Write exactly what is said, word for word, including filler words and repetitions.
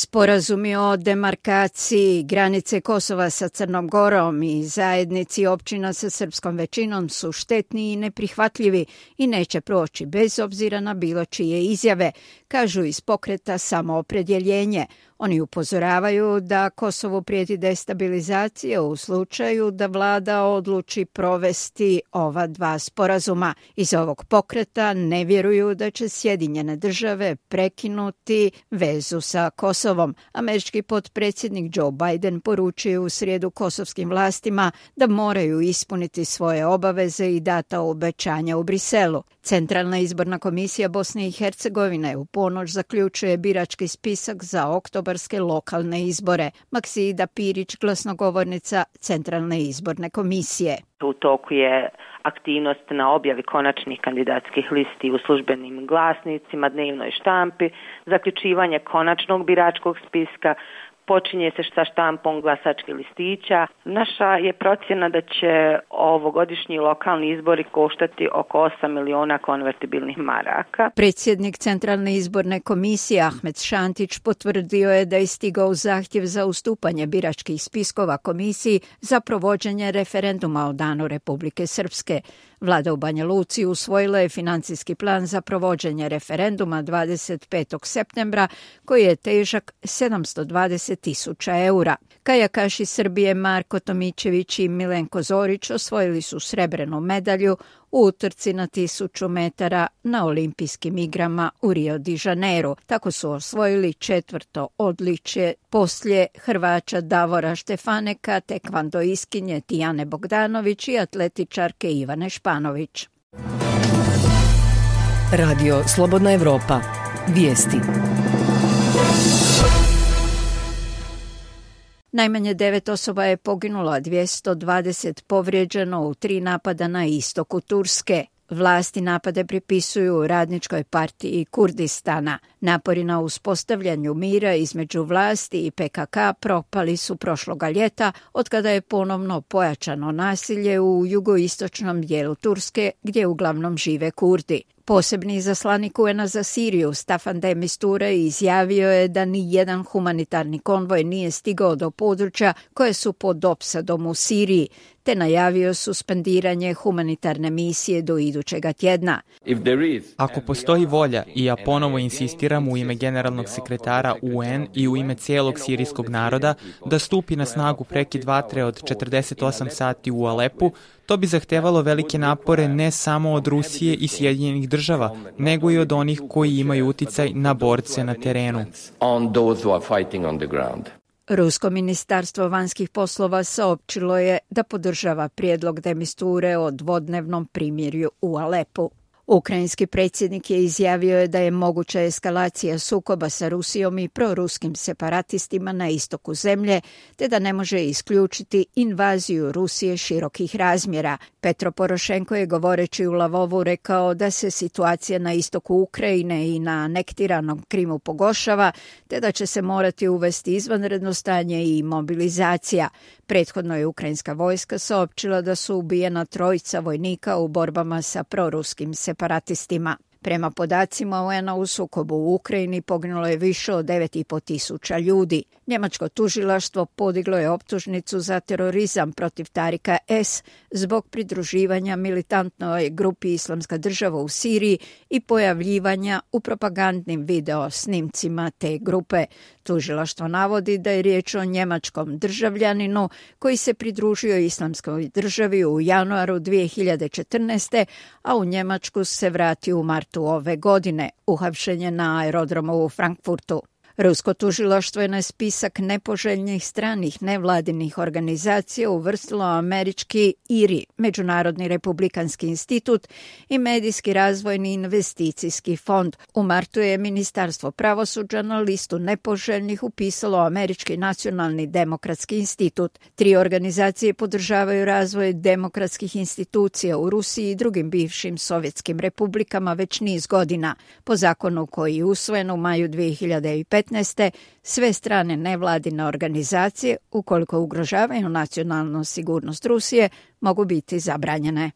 Sporazumi o demarkaciji granice Kosova sa Crnom Gorom i zajednici općina sa srpskom većinom su štetni i neprihvatljivi i neće proći bez obzira na bilo čije izjave, kažu iz pokreta Samoopredjeljenje. Oni upozoravaju da Kosovu prijeti destabilizacija u slučaju da vlada odluči provesti ova dva sporazuma. Iz ovog pokreta ne vjeruju da će Sjedinjene države prekinuti vezu sa Kosovom. Američki potpredsjednik Joe Biden poručio u srijedu kosovskim vlastima da moraju ispuniti svoje obaveze i data obećanja u Briselu. Centralna izborna komisija Bosne i Hercegovine u ponoć zaključuje birački spisak za oktobarske lokalne izbore. Maksida Pirić, glasnogovornica Centralne izborne komisije. U toku je aktivnost na objavi konačnih kandidatskih listi u službenim glasnicima, dnevnoj štampi, zaključivanje konačnog biračkog spiska, počinje se sa štampom glasačkih listića. Naša je procjena da će ovogodišnji lokalni izbori koštati oko osam miliona konvertibilnih maraka. Predsjednik Centralne izborne komisije Ahmed Šantić potvrdio je da je stigao zahtjev za ustupanje biračkih spiskova komisiji za provođenje referenduma o danu Republike Srpske. Vlada u Banja Luci usvojila je financijski plan za provođenje referenduma dvadeset petog septembra koji je težak sedamsto dvadeset tisuća eura. Kajakaši Srbije Marko Tomićević i Milenko Zorić osvojili su srebrnu medalju u utrci na tisuću metara na olimpijskim igrama u Rio de Janeiro. Tako su osvojili četvrto odličje poslije Hrvača Davora Štefaneka, tekvandoiskinje Tijane Bogdanović i atletičarke Ivane Španović. Radio Slobodna Evropa. Vijesti. Najmanje devet osoba je poginulo, a dvjesto dvadeset povrijeđeno u tri napada na istoku Turske. Vlasti napade pripisuju Radničkoj partiji Kurdistana. Napori na uspostavljanju mira između vlasti i P K K propali su prošloga ljeta, otkada je ponovno pojačano nasilje u jugoistočnom dijelu Turske, gdje uglavnom žive Kurdi. Posebni izaslanik U N-a za Siriju Staffan de Mistura izjavio je da ni jedan humanitarni konvoj nije stigao do područja koje su pod opsadom u Siriji, te najavio suspendiranje humanitarne misije do idućega tjedna. Ako postoji volja, i ja ponovo insistiram u ime generalnog sekretara U N i u ime cijelog sirijskog naroda, da stupi na snagu prekid vatre od četrdeset osam sati u Alepu, to bi zahtevalo velike napore ne samo od Rusije i Sjedinjenih država, nego i od onih koji imaju uticaj na borce na terenu. Rusko ministarstvo vanjskih poslova saopćilo je da podržava prijedlog de Misture o dvodnevnom primirju u Alepu. Ukrajinski predsjednik je izjavio je da je moguća eskalacija sukoba sa Rusijom i proruskim separatistima na istoku zemlje, te da ne može isključiti invaziju Rusije širokih razmjera. Petro Porošenko je govoreći u Lavovu rekao da se situacija na istoku Ukrajine i na anektiranom Krimu pogoršava, te da će se morati uvesti izvanredno stanje i mobilizacija. Prethodno je ukrajinska vojska saopćila da su ubijena trojica vojnika u borbama sa proruskim separatistima. Prema podacima U N-a u sukobu u Ukrajini poginulo je više od devet i po tisuća ljudi. Njemačko tužilaštvo podiglo je optužnicu za terorizam protiv Tarika S. zbog pridruživanja militantnoj grupi Islamska država u Siriji i pojavljivanja u propagandnim video snimcima te grupe. Tužilaštvo navodi da je riječ o njemačkom državljaninu koji se pridružio Islamskoj državi u januaru dvije hiljade četrnaeste. a u Njemačku se vratio u martu ove godine. Uhapšen je na aerodromu u Frankfurtu. Rusko tužilaštvo je na spisak nepoželjnih stranih nevladinih organizacija uvrstilo američki I R I, Međunarodni republikanski institut i Medijski razvojni investicijski fond. U martu je Ministarstvo pravosuđa na listu nepoželjnih upisalo Američki nacionalni demokratski institut. Tri organizacije podržavaju razvoj demokratskih institucija u Rusiji i drugim bivšim sovjetskim republikama već niz godina. Po zakonu koji je usvojen u maju dvije hiljade petnaeste. sve strane nevladine organizacije, ukoliko ugrožavaju nacionalnu sigurnost Rusije, mogu biti zabranjene.